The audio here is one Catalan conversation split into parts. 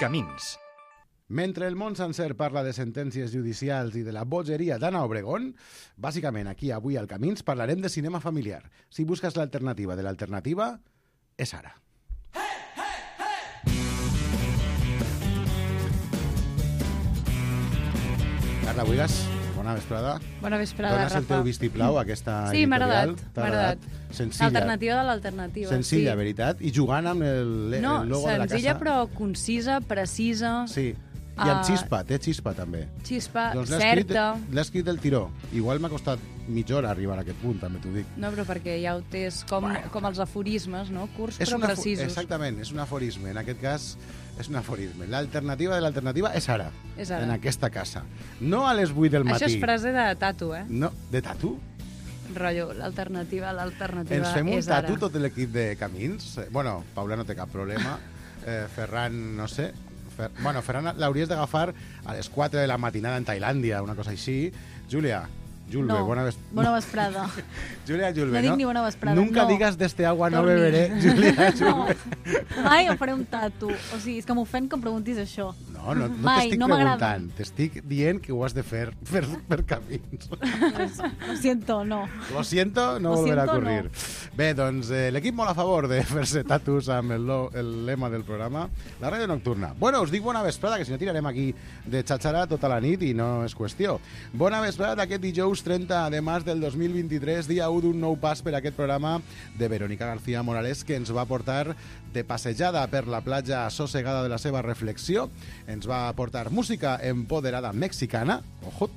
Camins. Mentre el món sencer parla de sentències judicials i de la bogeria d'Anna Obregón, bàsicament aquí avui al Camins parlarem de cinema familiar. Si busques l'alternativa de l'alternativa, és ara. Carla Buigas, bona vesprada. Bona vesprada, Dones Rafa. el teu vistiplau a aquesta Sí, m'ha editorial. agradat. Senzilla. L'alternativa de l'alternativa. Senzilla, sí. veritat? I jugant amb el logo de la casa. Senzilla però concisa, precisa, Sí, i amb xispa, té xispa també. xispa, Doncs certa. l'ha escrit del tiró. Igual m'ha costat mitja hora arribar a aquest punt, també t'ho dic. No, però perquè ja ho tens com els aforismes, no? Curts però precisos. Exactament, és un aforisme. En aquest cas, és un aforisme. L'alternativa de l'alternativa és ara, És ara. en aquesta casa. No a les 8 del matí. Això és frase de tatu, eh? No, de tatu? Rotllo, l'alternativa Ens fem un és ara. tatu tot l'equip de Camins? Bueno, Paula no té cap problema. Ferran, no sé. Bueno, Ferran l'hauries d'agafar a les 4 de la matinada en Tailàndia, una cosa així. Júlia, Julve, No, bona vesprada. Júlia Julve, No dic ni bona vesprada, Nunca no. digas de este agua no Torni. beberé, Júlia No, Julve. mai em faré un tatu. O sigui, és que m'ofèn que em preguntis això. No Mai, t'estic no m'agrada. preguntant, t'estic dient que ho has de fer per Camins. Lo siento, no. Lo siento, no Lo volverà a siento, ocurrir. no. Bé, doncs l'equip molt a favor de fer-se tatus amb el lema del programa, la ràdio nocturna. Bueno, us dic bona vesprada, que si no tirarem aquí de xatxara tota la nit i no és qüestió. Bona vesprada d'aquest dijous 30 de març del 2023, dia 1 d'un nou pas per aquest programa de Verónica García Morales, que ens va portar de passejada per la platja assossegada de la seva reflexió. Ens va portar música empoderada mexicana,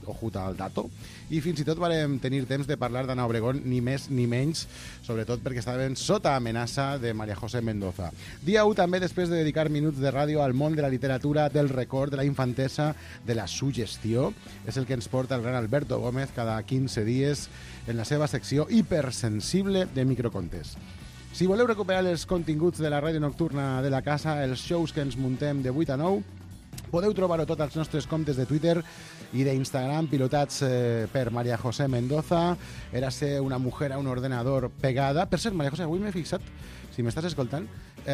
ojuta al dato, i fins i tot vam tenir temps de parlar d'Anna Obregón, ni més ni menys, sobretot perquè estaven sota amenaça de María José Mendoza. Dia 1 també després de dedicar minuts de ràdio al món de la literatura, del record, de la infantesa, de la suggestió. És el que ens porta el gran Alberto Gómez cada 15 dies en la seva secció hipersensible de microcontes. Si voleu recuperar els continguts de la ràdio nocturna de la casa, els shows que ens muntem de 8 a 9, podeu trobar-ho tot als nostres comptes de Twitter i d'Instagram pilotats per María José Mendoza. Érase una mujer a un ordenador pegada. Per cert, María José, avui m'he fixat, si m'estàs escoltant,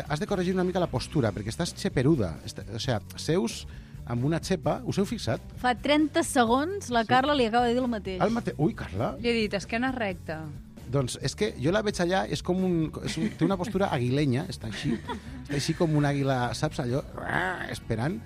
has de corregir una mica la postura, perquè estàs xeperuda. O sigui, seus amb una xepa, us heu fixat? Fa 30 segons la Carla li acaba de dir el mateix. Ui, Carla! Li he dit, esquena recta. Doncs és que jo la veig allà, és com té una postura aguilenya, està així com un àguila, saps allò? Esperant,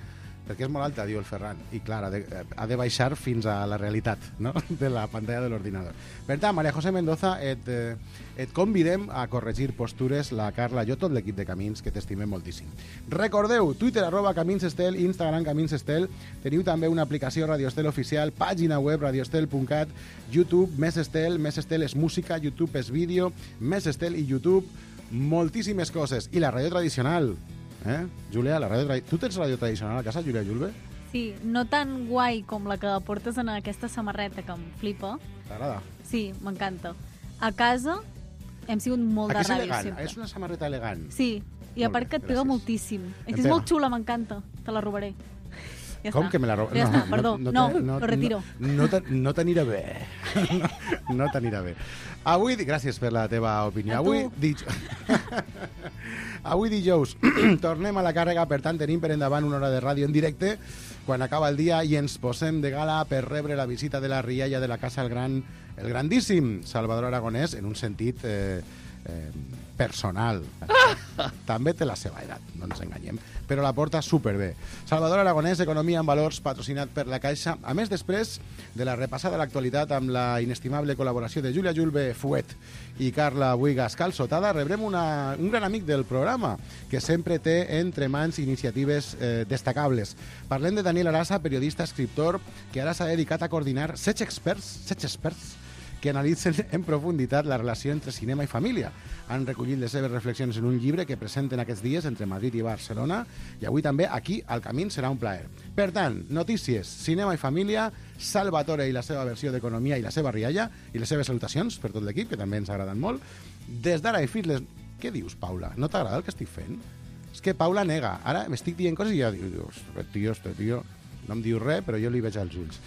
perquè és molt alta, diu el Ferran, i clar, ha de baixar fins a la realitat, no?, de la pantalla de l'ordinador. Per tant, María José Mendoza, et convidem a corregir postures, la Carla, jo, tot l'equip de Camins, que t'estimem moltíssim. Recordeu, Twitter, @CaminsEstel, Instagram, CaminsEstel, teniu també una aplicació Radio Estel oficial, pàgina web radioestel.cat, YouTube, Més Estel és música, YouTube és vídeo, Més Estel i YouTube, moltíssimes coses. I la ràdio tradicional, Júlia, tu tens ràdio tradicional a casa, Júlia Julve? Sí, no tan guai com la que portes en aquesta samarreta que em flipa. T'agrada? Sí, m'encanta. A casa hem sigut molt de Aquí és ràdio elegant, sempre. és una samarreta elegant. Sí, i a Molt part bé, que et pega gràcies. moltíssim. És que Em és pega. molt xula, m'encanta. Te la robaré. Ja Com està. que me la roba? Ja està, perdó. No, lo retiro. No t'anirà bé. No t'anirà bé. Avui, gràcies per la teva opinió. A tu. Avui dijous tornem a la càrrega, per tant tenim per endavant una hora de ràdio en directe quan acaba el dia i ens posem de gala per rebre la visita de la rialla de la casa el grandíssim Salvador Aragonès, en un sentit personal. També té la seva edat, no ens enganyem, però la porta superbé. Salvador Aragonès, Economia en Valors, patrocinat per la Caixa. A més, després de la repassada a l'actualitat amb la inestimable col·laboració de Júlia Julve Fuet i Carla Buigas Calçotada, rebrem un gran amic del programa que sempre té entre mans iniciatives destacables. Parlem de Daniel Arasa, periodista, escriptor, que ara s'ha dedicat a coordinar 7 experts que analitzen en profunditat la relació entre cinema i família. Han recollit les seves reflexions en un llibre que presenten aquests dies entre Madrid i Barcelona, i avui també aquí al Camins serà un plaer. Per tant, notícies, cinema i família, Salvatore i la seva versió d'Economia i la seva rialla, i les seves salutacions per tot l'equip, que també ens agraden molt. Des d'ara i fins les... Què dius, Paula? No t'agrada el que estic fent? És que Paula nega. Ara m'estic dient coses i ja diu, este tio no em diu res, però jo li veig als ulls.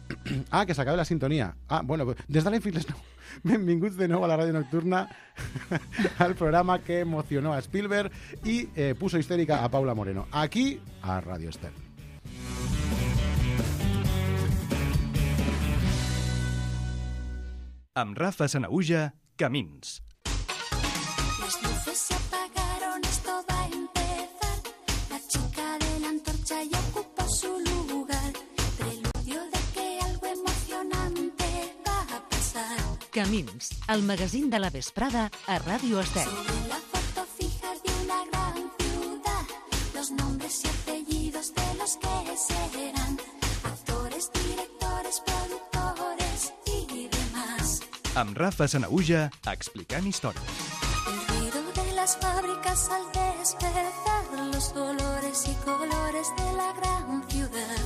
que s'acaba la sintonia. Bueno, des de l'Enfield les 9. Benvinguts de nou a la ràdio nocturna al programa que emocionó a Spielberg i puso histérica a Paula Moreno. Aquí, a Radio Estel. Amb Rafa Sanahuja, Camins. Las luces se apagaron, esto va a empezar. La chica de la antorcha ya ocupó su lugar. Preludio de que algo emocionante va a pasar. Camins, el magazín de la vesprada a Ràdio Estel. Sobre la foto fija de una gran ciudad, los nombres y apellidos de los que serán actores, directores, productores y demás. Amb Rafa Sanahuja, explicant històries. El ruido de las fábricas al despertar, los olores y colores de la gran ciudad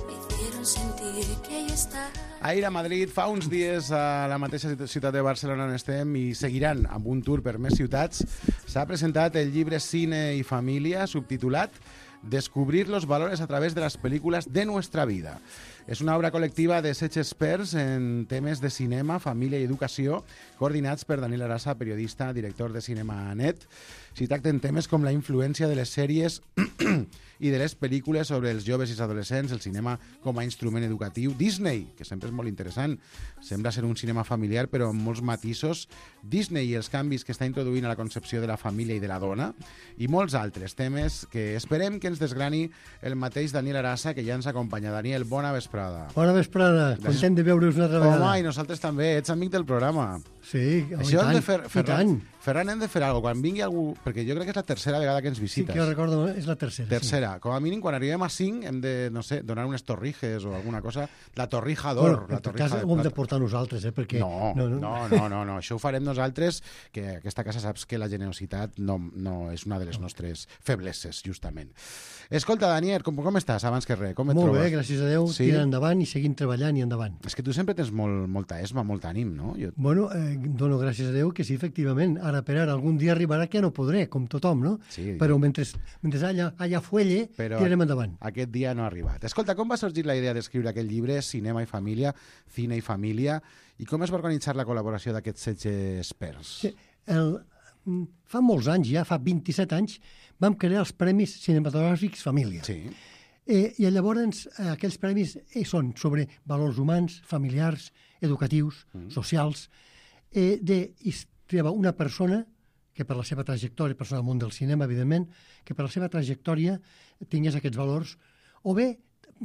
me hicieron sentir que ahí está. Ahir a Madrid, fa uns dies a la mateixa ciutat de Barcelona on estem i seguiran amb un tour per més ciutats, s'ha presentat el llibre Cine y Familia, subtitulat Descubrir los valores a través de las películas de nuestra vida. És una obra col·lectiva de 16 experts en temes de cinema, família i educació, coordinats per Daniel Arasa, periodista, director de Cinemanet. S'hi tracten temes com la influència de les sèries i de les pel·lícules sobre els joves i els adolescents, el cinema com a instrument educatiu, Disney, que sempre és molt interessant, sembla ser un cinema familiar però amb molts matisos, Disney i els canvis que està introduint a la concepció de la família i de la dona, i molts altres temes que esperem que ens desgrani el mateix Daniel Arasa, que ja ens acompanya. Daniel, bona vesprada. Bona vesprada, content de veure's una altra vegada. Home, i nosaltres també, ets amic del programa. Sí, Això hem de fer, i tant. Ferran, hem de fer alguna cosa. Quan vingui algú, perquè jo crec que és la tercera vegada que ens Sí, visites. que jo recordo, és la tercera. Tercera. Com a mínim, quan arribem a 5, hem de, no sé, donar unes torrijes o alguna cosa. La torrija d'or. Bueno, en tot cas, ho hem de portar nosaltres, perquè... No. Això ho farem nosaltres, que aquesta casa saps que la generositat no és una de les nostres febleses, justament. Escolta, Daniel, com estàs, abans que res? Com et Molt trobes? bé, gràcies a Déu, Sí? tirant endavant i seguim treballant i endavant. És que tu sempre tens molta esma, molt ànim, no? Bueno, dono gràcies a Déu que sí, efectivament, ara per ara, algun dia arribarà que no podré, com tothom, no? Sí. Però mentre allà fuelle, tirarem endavant. Aquest dia no ha arribat. Escolta, com va sorgir la idea d'escriure aquest llibre, Cinema i Família, Cine i Família, i com es va organitzar la col·laboració d'aquests 16 experts? Sí, fa molts anys, ja fa 27 anys, vam crear els Premis Cinematogràfics Família. Sí. I llavors aquells premis són sobre valors humans, familiars, educatius, socials, i triava una persona que per la seva trajectòria, persona del món del cinema, evidentment, que per la seva trajectòria tingués aquests valors, o bé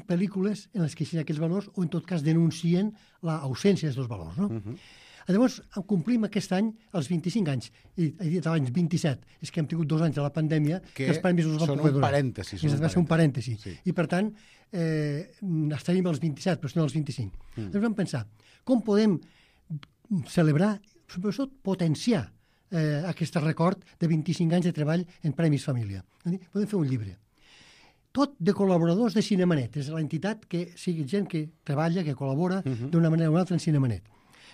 pel·lícules en les que hi ha aquests valors, o en tot cas denuncien l'ausència d'aquests valors, no? Llavors, complim aquest any els 25 anys, i he dit abans 27, és que hem tingut 2 anys de la pandèmia que els premis us van poder donar. Va ser un parèntesi. Sí. I, per tant, estaríem als 27, però no als 25. Llavors vam pensar, com podem celebrar, sobretot potenciar aquest record de 25 anys de treball en Premis Família. Podem fer un llibre. Tot de col·laboradors de Cinemanet. És l'entitat que sigui gent que treballa, que col·labora d'una manera o una altra en Cinemanet.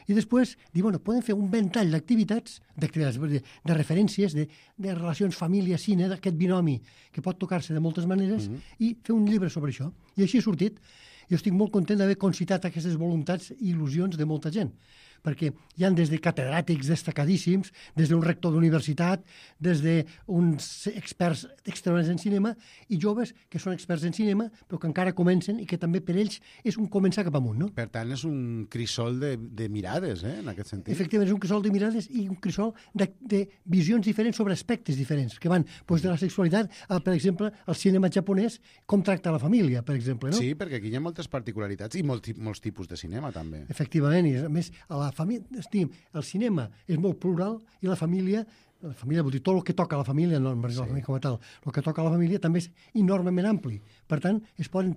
I després, bueno, podem fer un ventall d'activitats, de referències, de relacions família-cine, d'aquest binomi que pot tocar-se de moltes maneres, i fer un llibre sobre això. I així ha sortit. Jo estic molt content d'haver concitat aquestes voluntats i il·lusions de molta gent, perquè hi han des de catedràtics destacadíssims, des d'un rector d'universitat, des d'uns experts extraordinaris en cinema, i joves que són experts en cinema, però que encara comencen i que també per ells és un començar cap amunt, no? Per tant, és un crisol de mirades, en aquest sentit. Efectivament, és un crisol de mirades i un crisol de visions diferents sobre aspectes diferents, que van de la sexualitat a, per exemple, el cinema japonès, com tracta la família, per exemple, no? Sí, perquè aquí hi ha moltes particularitats i molts tipus de cinema, també. Efectivament, i a més, el cinema és molt plural i la família vol dir tot el que toca a la família, no la família com a tal, el que toca a la família també és enormement ampli. Per tant, es poden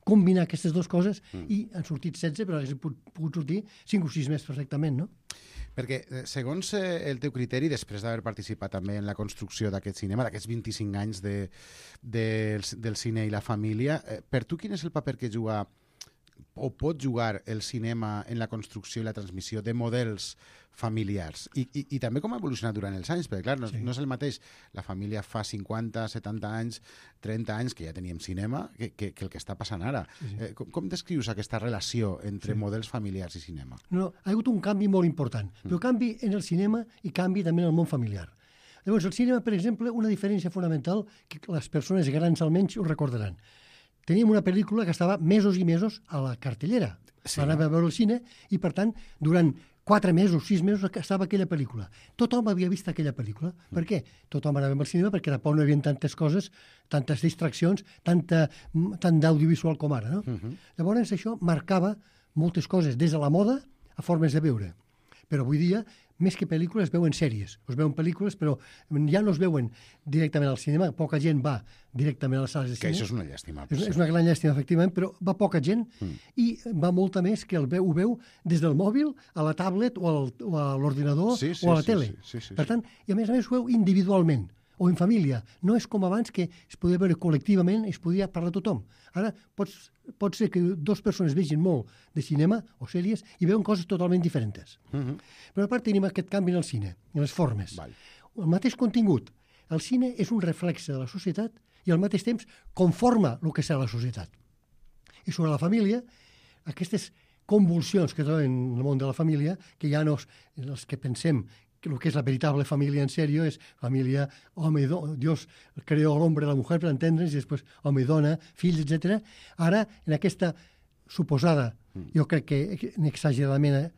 combinar aquestes dues coses i han sortit 16, però haguessin pogut sortir 5 o 6 més perfectament, no? Perquè, segons el teu criteri, després d'haver participat també en la construcció d'aquest cinema, d'aquests 25 anys del cine i la família, per tu quin és el paper que juga o pot jugar el cinema en la construcció i la transmissió de models familiars i també com ha evolucionat durant els anys, perquè clar, no és el mateix la família fa 50, 70 anys, 30 anys que ja teníem cinema que el que està passant ara. Com descrius aquesta relació entre models familiars i cinema? No, ha hagut un canvi molt important, però canvi en el cinema i canvi també en el món familiar. Llavors, el cinema, per exemple, una diferència fonamental que les persones grans almenys ho recordaran. Teníem una pel·lícula que estava mesos i mesos a la cartellera. Anava a veure el cine i, per tant, durant 4 mesos, 6 mesos estava aquella pel·lícula. Tothom havia vist aquella pel·lícula. Per què? Tothom anava al cinema perquè tampoc no hi havia tantes coses, tantes distraccions, tant d'audiovisual com ara. No? Llavors això marcava moltes coses, des de la moda a formes de veure. Però avui dia, més que pel·lícules, es veuen sèries. Es veuen pel·lícules, però ja no es veuen directament al cinema. Poca gent va directament a les sales de Que cinema. això és una llàstima. És una gran llàstima, efectivament, però va poca gent i va molta més que ho veu des del mòbil a la tablet o a l'ordinador o a la tele. Per tant, i a més ho veu individualment o en família. No és com abans que es podia veure col·lectivament i es podia parlar tothom. Ara pot ser que 2 persones vegin molt de cinema o sèries i veuen coses totalment diferents. Però a part tenim aquest canvi en el cine, en les formes. El mateix contingut. El cine és un reflexe de la societat i al mateix temps conforma el que serà la societat. I sobre la família, aquestes convulsions que troben en el món de la família, que ja no els que pensem que el que és la veritable família en sèrio és família home i dona. Dios creó l'hombre i la mujer per entendre'ns, i després home i dona, fills, etc. Ara, en aquesta suposada, jo crec que exageradament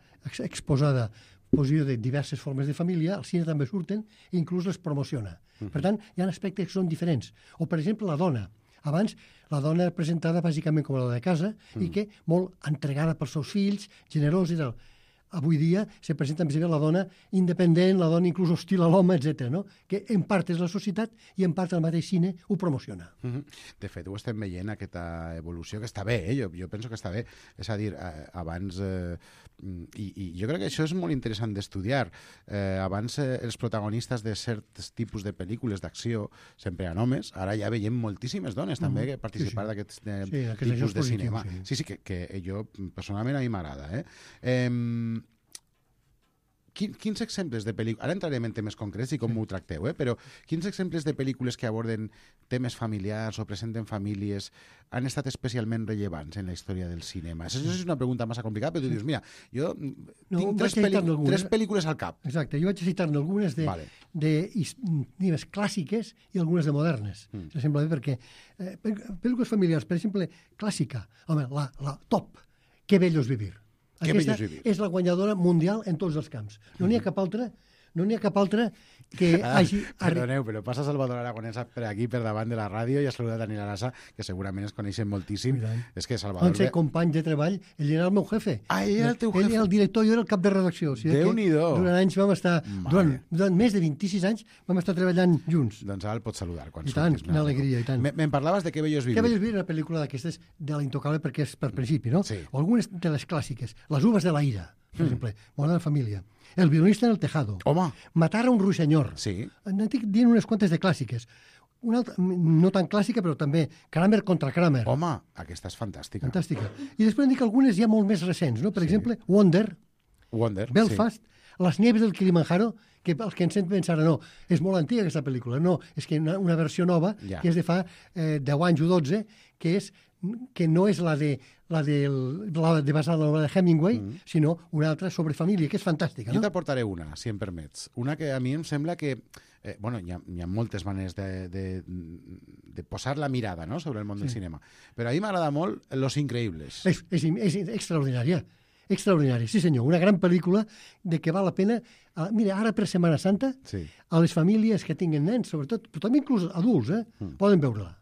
exposada posició de diverses formes de família, al cine també surten i inclús les promociona. Per tant, hi ha aspectes que són diferents. O, per exemple, la dona. Abans, la dona era presentada bàsicament com la de casa i que molt entregada pels seus fills, generosa i tal. Avui dia se presenta més aviat la dona independent, la dona inclús hostil a l'home, etc. No? Que en part és la societat i en part el mateix cine ho promociona. De fet, ho estem veient, aquesta evolució, que està bé, jo penso que està bé. És a dir, abans... I jo crec que això és molt interessant d'estudiar. Abans els protagonistes de certs tipus de pel·lícules d'acció sempre eren homes, ara ja veiem moltíssimes dones també que participar d'aquests tipus de cinema. Sí, que jo personalment a mi m'agrada. Quins exemples de pel·lícules... Ara entrarem en temes concrets i com ho tracteu, però quins exemples de pel·lícules que aborden temes familiars o presenten famílies han estat especialment rellevants en la història del cinema? Això és una pregunta massa complicada, però tu dius, mira, jo tinc 3 pel·lícules al cap. Exacte, jo vaig citar-ne algunes de clàssiques i algunes de modernes. Sembla bé perquè pel·lícules familiars, per exemple, clàssica, home, la top, Que bello es vivir. Aquesta és la guanyadora mundial en tots els camps. No n'hi ha cap altra que hagi... Perdoneu, però passa Salvador Aragonès per aquí, per davant de la ràdio, i ha saludat Daniel Arasa, que segurament es coneixen moltíssim. És que Salvador... Van ser companys de treball, ell era el meu jefe. Ell era el teu jefe? Ell era el director, jo era el cap de redacció. Déu-n'hi-do! Durant anys vam estar... Durant més de 26 anys vam estar treballant junts. Doncs ara el pots saludar quan surtis. I tant, una alegria, i tant. Me'n parlaves de Que bello es vivir. Que bello es vivir, una pel·lícula d'aquestes de la Intocable, perquè és per principi, no? O algunes de les clàssiques. Les uvas de la ira, per exemple, Bona de família. El violinista en el tejado. Home. Matar a un ruixenyor. Sí. N'estic dient unes quantes de clàssiques. Una altra, no tan clàssica, però també Kramer contra Kramer. Home, aquesta és fantàstica. Fantàstica. I després en dic algunes ja molt més recents, no? Per exemple, Wonder, Belfast, Les nieves del Kilimanjaro, que els que ens senten pensar, no, és molt antiga aquesta pel·lícula. No, és que una versió nova, que és de fa 10 anys o 12, que no és la de basada en la novel·la de Hemingway, sinó una altra sobre família, que és fantàstica. Jo t'aportaré una, si em permets. Una que a mi em sembla que... hi ha moltes maneres de posar la mirada, no?, sobre el món del cinema. Però a mi m'agrada molt Los Increíbles. És extraordinària. Extraordinària, sí senyor. Una gran pel·lícula de que val la pena... Mira, ara per Setmana Santa, a les famílies que tinguen nens, sobretot, però també inclús adults, poden veure-la.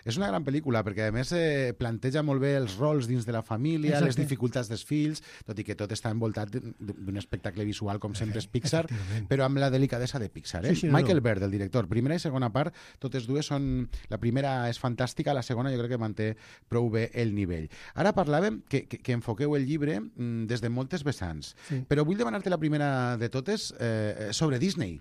És una gran pel·lícula perquè a més planteja molt bé els rols dins de la família, les dificultats dels fills, tot i que tot està envoltat d'un espectacle visual com sempre és Pixar, però amb la delicadesa de Pixar. Michael Bird, el director, primera i segona part, totes dues són... La primera és fantàstica, la segona jo crec que manté prou bé el nivell. Ara parlàvem que enfoqueu el llibre des de moltes vessants, però vull demanar-te la primera de totes sobre Disney.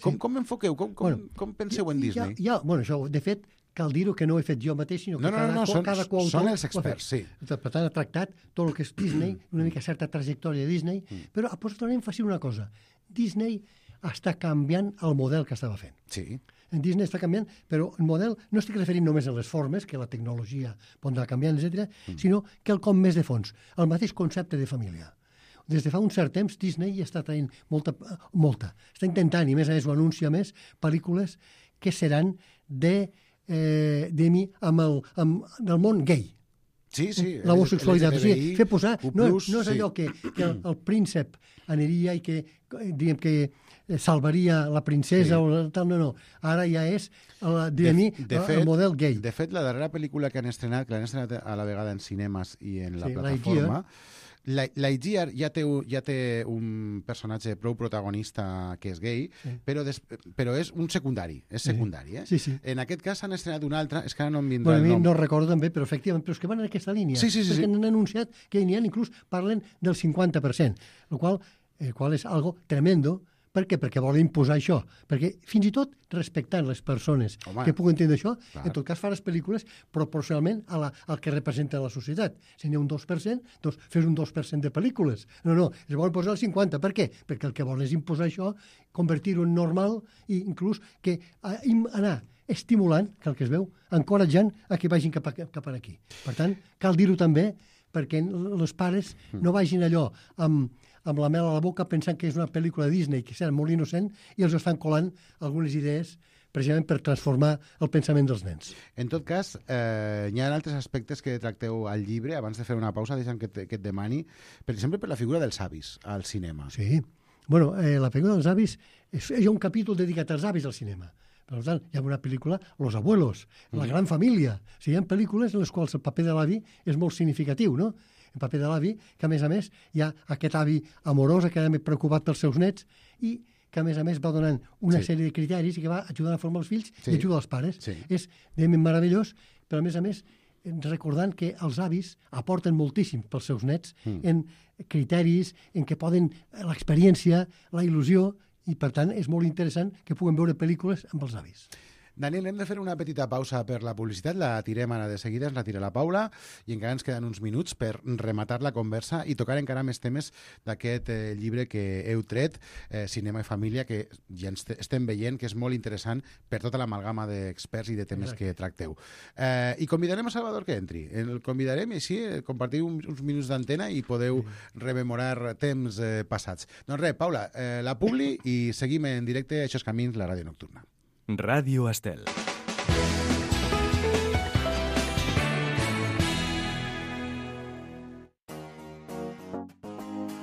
Com enfoqueu? Com penseu en Disney? Això, de fet, cal dir-ho que no ho he fet jo mateix, sinó que cada coautor són els ho ha fet. experts, sí. Per tant, ha tractat tot el que és Disney, una mica certa trajectòria de Disney, però ha posat un èmfasi en una cosa. Disney està canviant el model que estava fent. Sí. En Disney està canviant, però el model no estic referint només a les formes, que la tecnologia pot anar canviant, etc., sinó que el com més de fons, el mateix concepte de família. Des de fa un cert temps, Disney està traient molta. Està intentant, i més a més ho anuncia més, pel·lícules que seran del món gay. Sí. L'homosexualitat. Fer posar... No és sí. allò que el príncep aniria i que, diguem que salvaria la princesa o tal, no. Ara ja és, el model gay. De fet, la darrera pel·lícula que han estrenat a la vegada en cinemes i en la plataforma, Lightyear ja té un personatge prou protagonista que és gay, però és un secundari, eh? Sí. En aquest cas s'han estrenat un altre, és que ara no em vindrà el nom. No recordo també, però efectivament, però és que van en aquesta línia. Sí. Perquè han anunciat que n'hi ha, inclús parlen del 50%, el qual és algo tremendo. Per què? Perquè volen imposar això. Perquè fins i tot respectant les persones que puguin entendre això, en tot cas fa les pel·lícules proporcionalment al que representa la societat. Si n'hi ha un 2%, doncs fes un 2% de pel·lícules. No, es volen posar el 50%. Per què? Perquè el que volen és imposar això, convertir-ho en normal i inclús que anar estimulant, que el que es veu, encoratjant a que vagin cap aquí. Per tant, cal dir-ho també perquè els pares no vagin allò amb la mel a la boca pensant que és una pel·lícula de Disney, que serà molt innocent, i els estan colant algunes idees precisament per transformar el pensament dels nens. En tot cas, hi ha altres aspectes que tracteu al llibre. Abans de fer una pausa, deixa'm que et demani, per exemple, per la figura dels avis al cinema. Sí. Bueno, la figura dels avis, hi ha un capítol dedicat als avis al cinema. Per tant, hi ha una pel·lícula, Los abuelos, la gran família. O sigui, hi ha pel·lícules en les quals el paper de l'avi és molt significatiu, no? El paper de l'avi, que a més, hi ha aquest avi amorós, que era preocupat pels seus nets, i que a més va donant una sèrie de criteris i que va ajudant a formar els fills i ajuda els pares. Sí. És meravellós, però a més, recordant que els avis aporten moltíssim pels seus nets en criteris, en què poden l'experiència, la il·lusió, i per tant és molt interessant que puguem veure pel·lícules amb els avis. Daniel, hem de fer una petita pausa per la publicitat, la tirem ara de seguida, ens la tira la Paula, i encara ens queden uns minuts per rematar la conversa i tocar encara més temes d'aquest llibre que heu tret, Cinema i Família, que ja estem veient que és molt interessant per tota l'amalgama d'experts i de temes que tracteu. I convidarem a Salvador que entri. El convidarem i així compartiu uns minuts d'antena i podeu rememorar temps passats. Doncs res, Paula, la publi i seguim en directe a Això és Camins, la ràdio nocturna. Ràdio Estel.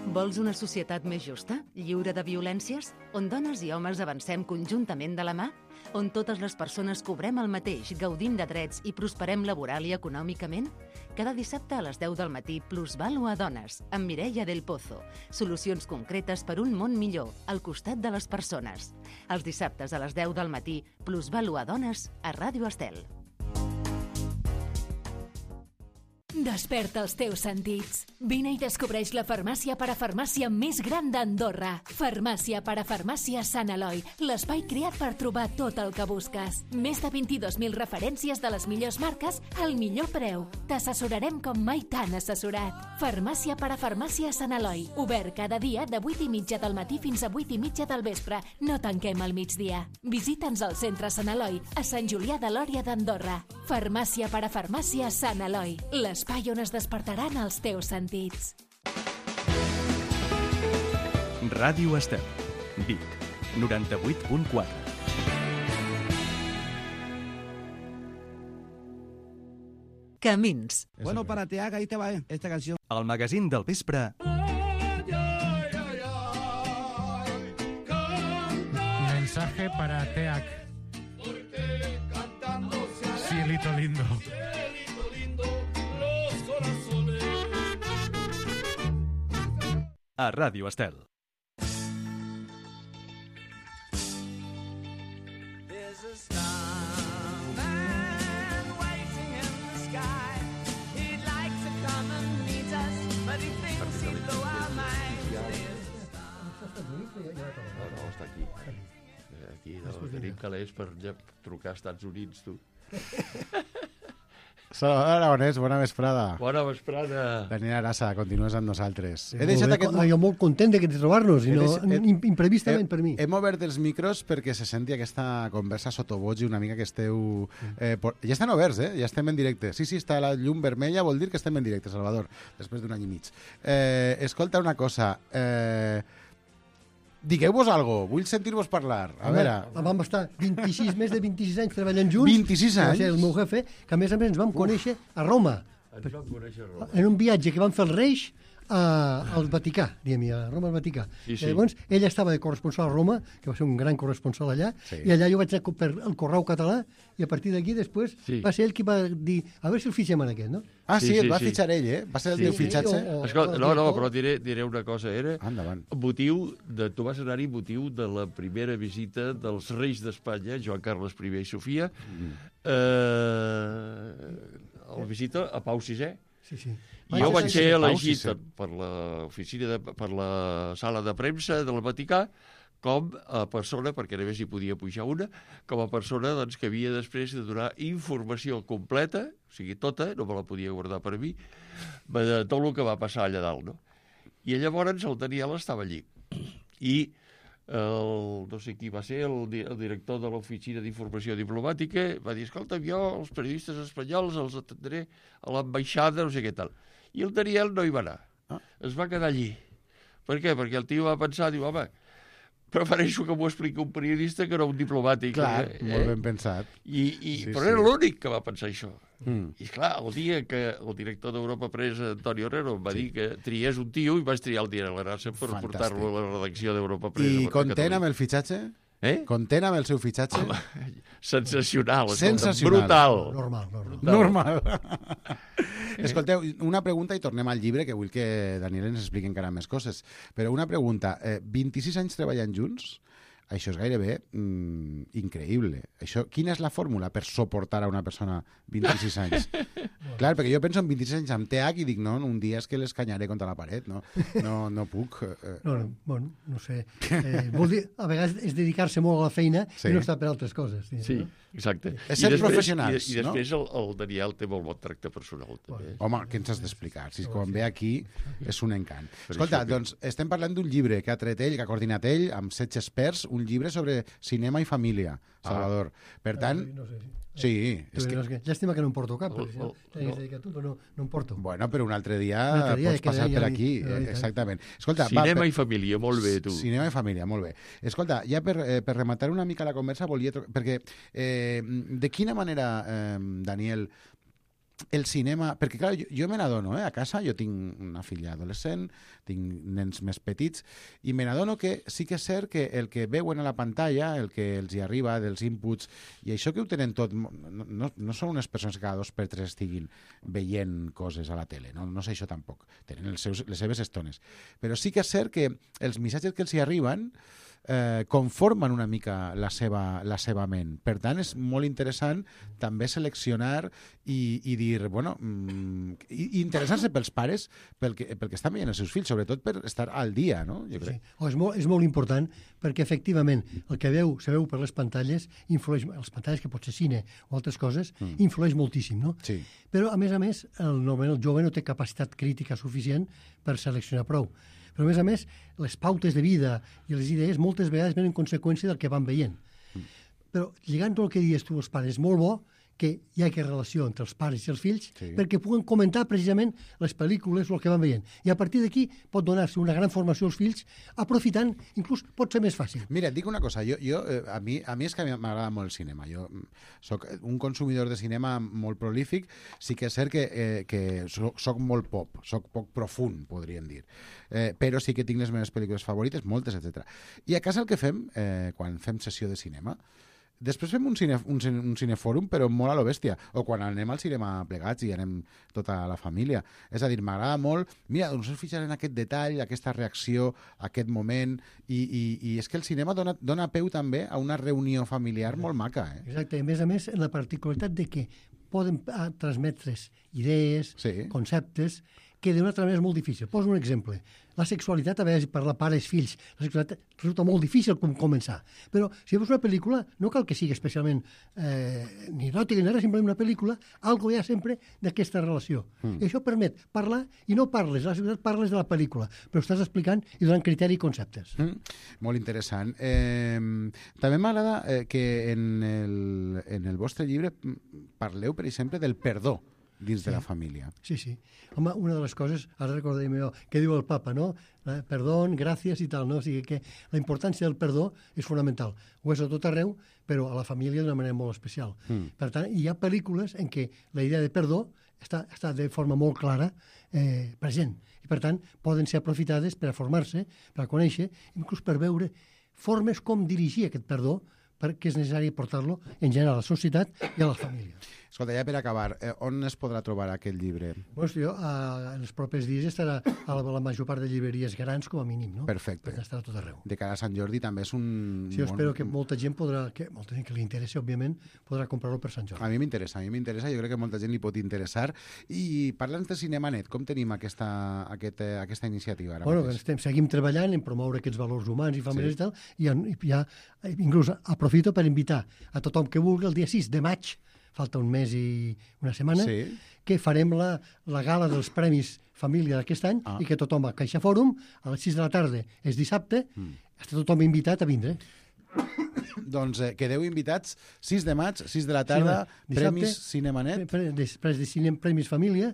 Vols una societat més justa, lliure de violències, on dones i homes avancem conjuntament de la mà? On totes les persones cobrem el mateix, gaudim de drets i prosperem laboral i econòmicament? Cada dissabte a les 10 del matí, Plusvalua Dones, amb Mireia del Pozo. Solucions concretes per un món millor, al costat de les persones. Els dissabtes a les 10 del matí, Plusvalua Dones, a Ràdio Estel. Desperta els teus sentits. Vine i descobreix la farmàcia parafarmàcia més gran d'Andorra. Farmàcia parafarmàcia Sant Eloi, l'espai creat per trobar tot el que busques. Més de 22.000 referències de les millors marques al millor preu. T'assessorarem com mai t'han assessorat. Farmàcia parafarmàcia Sant Eloi, obert cada dia de 8:30 del matí fins a 8:30 del vespre. No tanquem al migdia. Visita'ns al centre Sant Eloi, a Sant Julià de Lòria d'Andorra. Farmàcia parafarmàcia Sant Eloi, l'espai on es despertaran els teus sentits. Ràdio Estel. Vic, 98.4. Camins. Bueno, para Teaga, ahí te va esta canción. El magazín del vespre. Mensaje para Teac. Cielito lindo. A Ràdio Estel. No, està aquí. Aquí, tenim calés per trucar als Estats Units, tu. Salvador Aragonès, bona vesprada. Bona vesprada. Daniel Arassa, continues amb nosaltres. He deixat aquest... Jo molt content de trobar-nos, imprevistament per mi. Hem obert els micros perquè se senti aquesta conversa sotoboig i una mica que esteu... Ja estan oberts, ja estem en directe. Sí, està la llum vermella, vol dir que estem en directe, Salvador, després d'un any i mig. Escolta una cosa... Digueu-vos alguna cosa, vull sentir-vos parlar. A veure... Vam estar més de 26 anys treballant junts. 26 anys? Va ser el meu jefe, que a més ens vam conèixer a Roma. Ens vam conèixer a Roma. En un viatge que van fer els Reis al Vaticà, diguem, a Roma al Vaticà. Sí. Llavors, ell estava de corresponsal a Roma, que va ser un gran corresponsal allà, i allà jo vaig anar per el Correu Català, i a partir d'aquí després va ser ell qui va dir, a veure si el fitxem en aquest, no? Ah, sí, el va fitxar ell, Va ser el teu fitxatge? Escolta, no, però diré una cosa. Era endavant. tu vas anar-hi motiu de la primera visita dels reis d'Espanya, Joan Carles I i Sofia, la visita a Pau VI. Sí. I jo vaig ser elegit per la sala de premsa del Vaticà com a persona, perquè només hi podia pujar una, com a persona doncs, que havia després de donar informació completa, o sigui, tota, no me la podia guardar per mi, de tot el que va passar allà dalt, no? I llavors el Daniel estava allí. I no sé qui va ser, el director de l'Oficina d'Informació Diplomàtica, va dir, escolta, jo els periodistes espanyols els atendré a l'ambaixada, no sé què tal. I el Daniel no hi va anar. Es va quedar allí. Per què? Perquè el tio va pensar, diu, home, prefereixo que m'ho expliqui un periodista que no un diplomàtic. Clar, molt ben pensat. Però era l'únic que va pensar això. I clar, el dia que el director d'Europa Press, Antonio Herrero, em va dir que triés un tio i vaig triar el Daniel Arassa per portar-lo a la redacció d'Europa Press. I content amb el fitxatge? Content amb el seu fitxatge? Sensacional. Brutal. Normal. Escolteu, una pregunta i tornem al llibre, que vull que Daniel ens expliqui encara més coses. Però una pregunta, 26 anys treballant junts, això és gairebé increïble. Quina és la fórmula per suportar a una persona 26 anys? Clar, perquè jo penso en 26 anys amb TH i dic, no, un dia és que l'escanyaré contra la paret, no puc. No sé. Vol dir, a vegades és dedicar-se molt a la feina i no estar per altres coses. Sí, exacte. És ser professionals, no? I després el Daniel té molt bon tracte personal, també. Home, què ens has d'explicar? Si quan ve aquí és un encant. Escolta, doncs estem parlant d'un llibre que ha tret ell, que ha coordinat ell, amb 16 experts, un llibre sobre cinema i família, Salvador. Per tant... Sí. Llàstima que no em porto cap, perquè si no t'hagués dedicat tu, però no em porto. Bueno, però un altre dia pots passar per aquí. Exactament. Escolta, cinema i família, molt bé, tu. Cinema i família, molt bé. Escolta, ja per rematar una mica la conversa, volia... Perquè, de quina manera, Daniel, el cinema... Perquè, clar, jo me n'adono, a casa, jo tinc una filla adolescent, tinc nens més petits, i me n'adono que sí que és cert que el que veuen a la pantalla, el que els hi arriba dels inputs, i això que ho tenen tot... No són unes persones que cada 2 per 3 estiguin veient coses a la tele, no sé això tampoc. Tenen les seves estones. Però sí que és cert que els missatges que els hi arriben conformen una mica la seva ment. Per tant, és molt interessant també seleccionar i dir, bueno, i interessar-se pels pares pel que estan veient els seus fills, sobretot per estar al dia, no? Jo crec. És molt important perquè, efectivament, el que se veu per les pantalles influeix, les pantalles que pot ser cine o altres coses, influeix moltíssim, no? Sí. Però, a més, normalment el jove no té capacitat crítica suficient per seleccionar prou. Però, a més, les pautes de vida i les idees moltes vegades venen en conseqüència del que van veient. Però, lligant tot el que dius tu als pares, és molt bo que hi hagi relació entre els pares i els fills perquè puguen comentar precisament les pel·lícules o el que van veient. I a partir d'aquí pot donar-se una gran formació als fills, aprofitant, inclús pot ser més fàcil. Mira, et dic una cosa, a mi és que m'agrada molt el cinema. Jo soc un consumidor de cinema molt prolífic, sí que és cert que soc molt pop, soc poc profund, podríem dir. Però sí que tinc les meves pel·lícules favorites, moltes, etc. I a casa el que fem, quan fem sessió de cinema, després fem un cinefòrum, però molt a lo bèstia. O quan anem al cinema plegats i anem tota la família. És a dir, m'agrada molt... Mira, doncs us fixaré en aquest detall, aquesta reacció, aquest moment... I és que el cinema dona peu també a una reunió familiar molt maca. Exacte. A més, la particularitat de que poden transmetre's idees, conceptes, que d'una altra manera és molt difícil. Poso un exemple. La sexualitat, a vegades, per la pares, fills, la sexualitat resulta molt difícil començar. Però si veus una pel·lícula, no cal que sigui especialment ni eròtica ni res, simplement una pel·lícula, algo hi ha sempre d'aquesta relació. I això permet parlar, i no parles, la sexualitat parles de la pel·lícula, però estàs explicant i donant criteri i conceptes. Molt interessant. També m'agrada que en el vostre llibre parleu, per exemple, del perdó dins de la família. Sí, sí. Home, una de les coses, ara recordaré jo, que diu el papa, no? Perdón, gràcies i tal, no? O sigui que la importància del perdó és fonamental. Ho és a tot arreu, però a la família d'una manera molt especial. Per tant, hi ha pel·lícules en què la idea de perdó està de forma molt clara present. I, per tant, poden ser aprofitades per a formar-se, per a conèixer, inclús per veure formes com dirigir aquest perdó, perquè és necessari portar-lo en general a la societat i a la família. Escolta, ja per acabar, on es podrà trobar aquest llibre? Doncs jo, en els propers dies estarà a la major part de llibreries grans, com a mínim, no? Perfecte. Perquè estarà tot arreu. De cara a Sant Jordi també és un... Sí, jo espero que molta gent que li interessi, òbviament, podrà comprar-lo per Sant Jordi. A mi m'interessa, jo crec que molta gent li pot interessar. I parla'ns de CinemaNet, com tenim aquesta iniciativa? Bueno, seguim treballant en promoure aquests valors humans i familiars i tal, i ja, inclús aprofito per invitar a tothom que vulgui el dia 6 de maig, falta un mes i una setmana, que farem la gala dels Premis Família d'aquest any i que tothom a Caixa Fòrum, a les 6 de la tarda, és dissabte, està tothom invitat a vindre. Doncs quedeu invitats 6 de maig, 6 de la tarda, Premis CinemaNet. Després de Premis Família,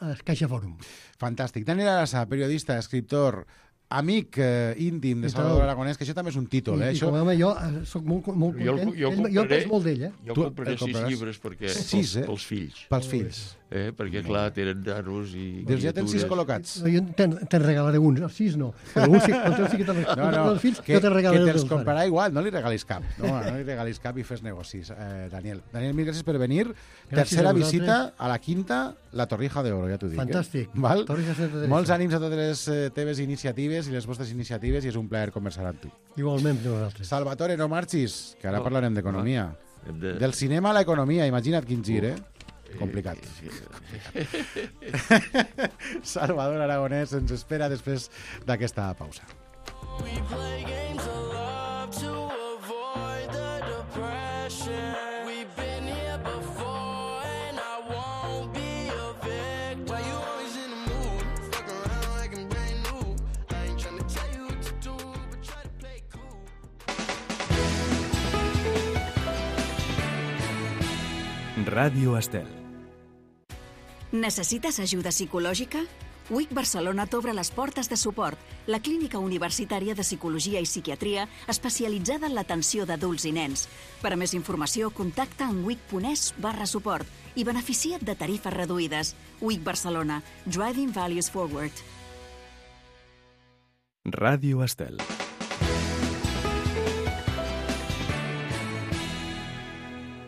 a Caixa Fòrum. Fantàstic. Daniel Arasa, periodista, escriptor, amic íntim de Salvador Aragonès, que això també és un títol. I com a home, jo soc molt content. Jo penso molt d'ell. Jo compraré 6 llibres pels fills. Pels fills. Perquè, clar, tenen nanos i... Doncs ja tens 6 col·locats. Jo te'n regalaré uns, 6 no. Però un sí que te'n regalaré els fills, jo te'n regalaré els que te'ls comprarà igual, no li regalis cap. No li regalis cap i fes negocis, Daniel. Daniel, mil gràcies per venir. Tercera visita a la quinta, la Torrija d'Oro, ja t'ho dic. Fantàstic. Molts ànims a totes les teves iniciatives i les vostres iniciatives i és un plaer conversar amb tu. Igualment, nosaltres. Salvatore, no marxis, que ara parlarem d'economia. Del cinema a l'economia, imagina't quin gir, complicat. Salvador Aragonès ens espera després d'aquesta pausa. Ràdio Estel. Necessites ajuda psicològica? UIC Barcelona t'obre les portes de suport, la clínica universitària de psicologia i psiquiatria especialitzada en l'atenció d'adults i nens. Per a més informació, contacta amb uic.es/suport i beneficia't de tarifes reduïdes. UIC Barcelona, Driving Values Forward. Ràdio Estel.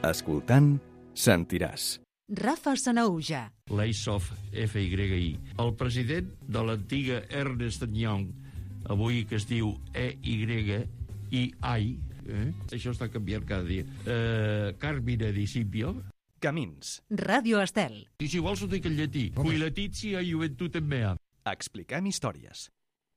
Escoltant, sentiràs. Rafa Sanahuja. L'Asof FYI. El president de l'antiga Ernst & Young, avui que es diu EYI, això està canviant cada dia, Carmine Di Silvio. Camins. Ràdio Estel. I si vols ho dic en llatí. Qui Letizia Juventutem mea. Expliquem històries.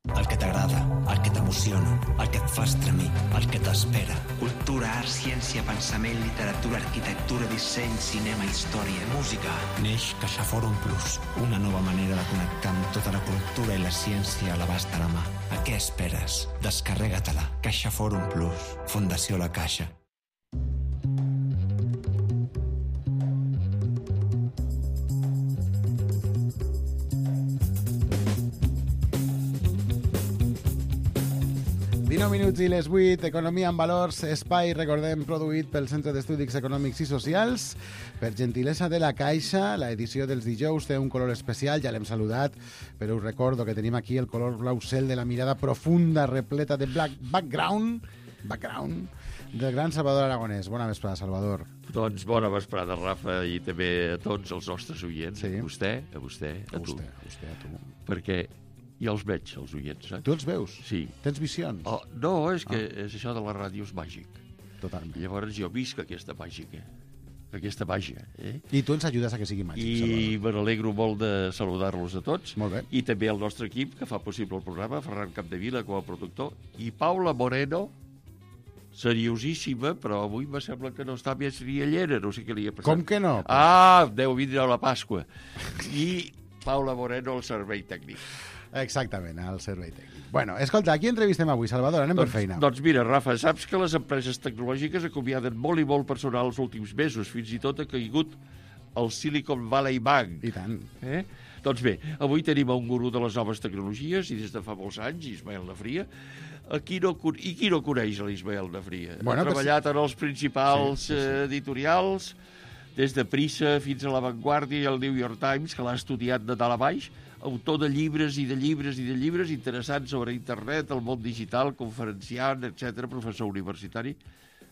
El que t'agrada, el que t'emociona, el que et fa estremir, el que t'espera. Cultura, art, ciència, pensament, literatura, arquitectura, disseny, cinema, història, música. Neix CaixaForum Plus, una nova manera de connectar amb tota la cultura i la ciència a l'abast de la mà. A què esperes? Descarrega-te-la. CaixaForum Plus, Fundació La Caixa. Minuts i les 8, Economia en Valors, espai, recordem, produït pel Centre d'Estudis Econòmics i Socials. Per gentilesa de la Caixa, l'edició dels dijous té un color especial, ja l'hem saludat, però us recordo que tenim aquí el color blau cel de la mirada profunda, repleta de background del gran Salvador Aragonès. Bona vesprada, Salvador. Doncs bona vesprada, Rafa, i també a tots els nostres oients. Sí. A vostè, a tu. A tu. Perquè ja els veig, els oients, saps? Tu els veus? Sí. Tens visions? No, és que és això de la ràdio és màgic. Totalment. Llavors jo visc aquesta màgica. aquesta màgia. I tu ens ajudes a que sigui màgic, I me n'alegro molt de saludar-los a tots. Molt bé. I també al nostre equip, que fa possible el programa, Ferran Capdevila com a productor, i Paula Moreno, seriosíssima, però avui me sembla que no està més riallera, no sé què li ha passat. Com que no? Deu vindre a la Pasqua. I Paula Moreno al servei tècnic. Exactament, al servei tècnic. Bueno, escolta, a qui entrevistem avui, Salvador? Anem per feina. Doncs mira, Rafa, saps que les empreses tecnològiques acomiaden molt i molt personal els últims mesos, fins i tot ha caigut el Silicon Valley Bank. I tant. Doncs bé, avui tenim un gurú de les noves tecnologies, i des de fa molts anys, Ismael Nafria. Qui no coneix l'Ismael Nafria? Ha treballat en els principals editorials, des de Prisa fins a La Vanguardia i el New York Times, que l'ha estudiat de dalt a baix, autor de llibres i de llibres i de llibres interessants sobre internet, el món digital, conferenciant, etc., professor universitari.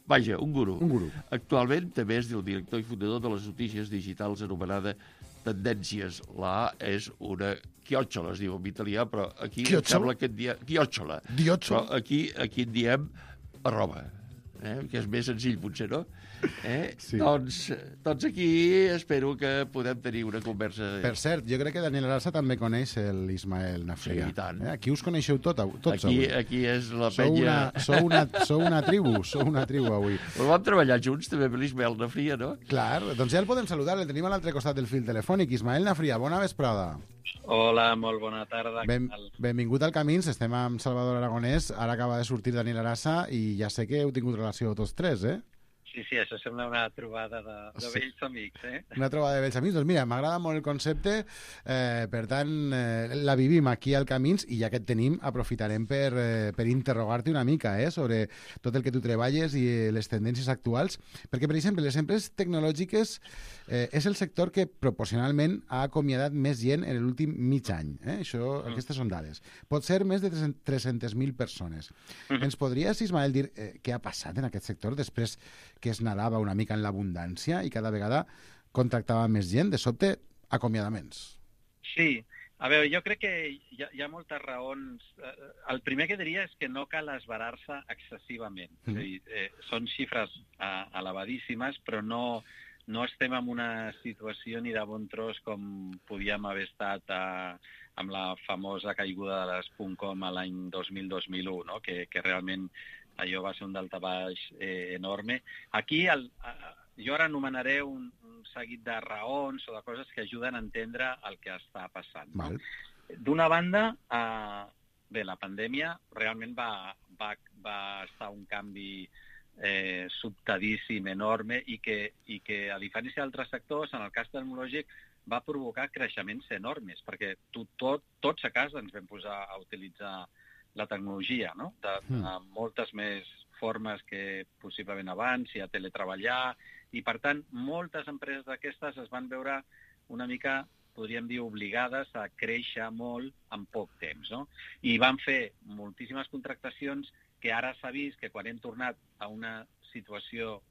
Vaja, un gurú. Un gurú. Actualment també és el director i fundador de les notícies digitals anomenada Tendències. La A és una chiocciola, es diu en italià, però aquí em sembla que en diem... Chiocciola. Però aquí en diem arroba, que és més senzill, potser, no? Sí. Doncs aquí espero que podem tenir una conversa. Per cert, jo crec que Daniel Arasa també coneix l'Ismael Nafria. Sí, i tant. Aquí us coneixeu tots aquí és la penya... Sou una tribu avui. Però vam treballar junts també amb l'Ismael Nafria, no? Clar, doncs ja el podem saludar, el tenim a l'altre costat del fil telefònic. Ismael Nafria, bona vesprada. Hola, molt bona tarda. Benvingut al Camins, estem amb Salvador Aragonès, ara acaba de sortir Daniel Arasa i ja sé que heu tingut relació tots tres, Sí, això sembla una trobada de vells amics, Una trobada de vells amics. Doncs mira, m'agrada molt el concepte, per tant, la vivim aquí al Camins i ja que et tenim, aprofitarem per interrogar-te una mica sobre tot el que tu treballes i les tendències actuals, perquè, per exemple, les empreses tecnològiques és el sector que proporcionalment ha acomiadat més gent en l'últim mig any. Aquestes són dades. Pot ser més de 300.000 persones. Ens podries, Ismael, dir què ha passat en aquest sector després que es nadava una mica en l'abundància i cada vegada contractava més gent, de sobte, acomiadaments? Sí. A veure, jo crec que hi ha moltes raons. El primer que diria és que no cal esverar-se excessivament. És a dir, són xifres elevadíssimes, però no estem en una situació ni de bon tros com podíem haver estat amb la famosa caiguda de les .com a l'any 2000-2001, no? Que realment allò va ser un daltabaix enorme. Aquí jo ara anomenaré un seguit de raons o de coses que ajuden a entendre el que està passant. No? D'una banda, la pandèmia realment va estar un canvi sobtadíssim, enorme, i que a diferència d'altres sectors, en el cas tecnològic, va provocar creixements enormes, perquè tots a casa ens vam posar a utilitzar la tecnologia, no? De moltes més formes que possiblement abans, i a teletreballar, i per tant moltes empreses d'aquestes es van veure una mica, podríem dir, obligades a créixer molt en poc temps, no? I van fer moltíssimes contractacions que ara s'ha vist que quan hem tornat a una situació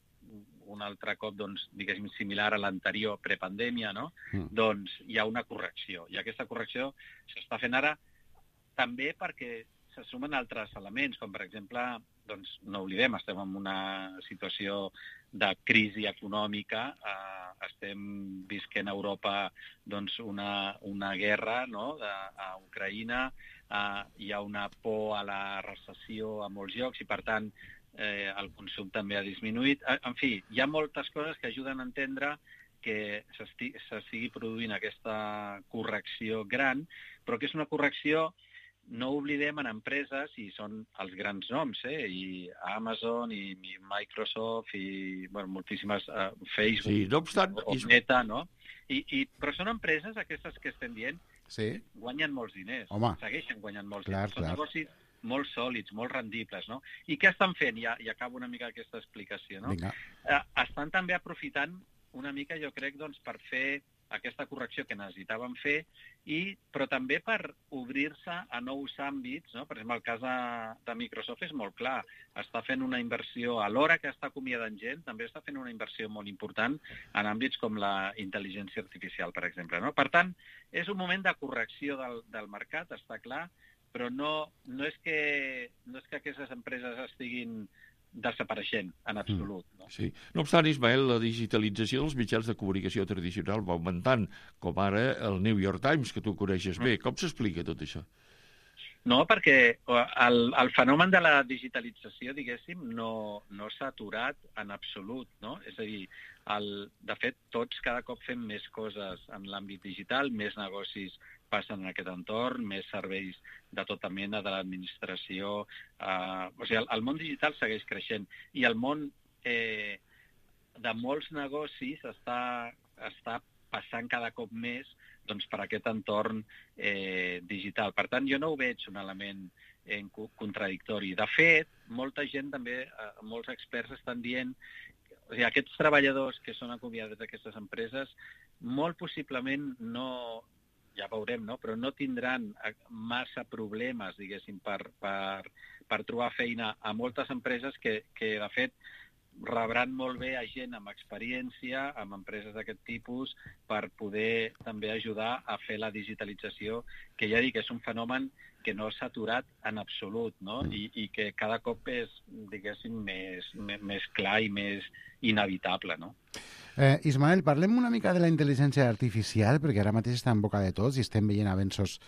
un altre cop, doncs, diguéssim, similar a l'anterior prepandèmia, no? Doncs hi ha una correcció, i aquesta correcció s'està fent ara també perquè se sumen altres elements, com per exemple, doncs no oblidem, estem en una situació de crisi econòmica, estem visquent a Europa doncs, una guerra, no? A Ucraïna, hi ha una por a la recessió a molts llocs i per tant el consum també ha disminuït. En fi, hi ha moltes coses que ajuden a entendre que s'estigui produint aquesta correcció gran, però que és una correcció, no oblidem, en empreses, i són els grans noms, i Amazon, i Microsoft, i moltíssimes, Facebook, sí, no obstant, Meta, no? Però són empreses, aquestes que estem dient, guanyen molts diners, segueixen guanyant molts diners. Són negocis molt sòlids, molt rendibles, no? I què estan fent? I acabo una mica aquesta explicació, no? Estan també aprofitant una mica, jo crec, doncs, per fer aquesta correcció que necessitaven fer, però també per obrir-se a nous àmbits, no? Per exemple, el cas de Microsoft és molt clar. Està fent una inversió, alhora que està acomiadant gent, també està fent una inversió molt important en àmbits com la intel·ligència artificial, per exemple, no? Per tant, és un moment de correcció del mercat, està clar, però no és que aquestes empreses estiguin desapareixent, en absolut. No? Sí. No obstant, Ismael, la digitalització dels mitjans de comunicació tradicional va augmentant, com ara el New York Times, que tu coneixes bé. Com s'explica tot això? No, perquè el fenomen de la digitalització, diguéssim, no s'ha aturat en absolut, no? És a dir, de fet, tots cada cop fem més coses en l'àmbit digital, més negocis passen en aquest entorn, més serveis de tota mena de l'administració. O sigui, el món digital segueix creixent i el món de molts negocis està passant cada cop més per aquest entorn digital. Per tant, jo no ho veig un element contradictori. De fet, molta gent també, molts experts estan dient, o sigui, aquests treballadors que són acomiadats d'aquestes empreses, molt possiblement no, ja veurem, no? Però no tindran massa problemes, diguéssim, per trobar feina a moltes empreses que de fet, rebran molt bé a gent amb experiència, amb empreses d'aquest tipus, per poder també ajudar a fer la digitalització, que ja dic, és un fenomen que no s'ha aturat en absolut, no? I que cada cop és, diguéssim, més clar i més inevitable, no? Ismael, parlem una mica de la intel·ligència artificial, perquè ara mateix està en boca de tots i estem veient avenços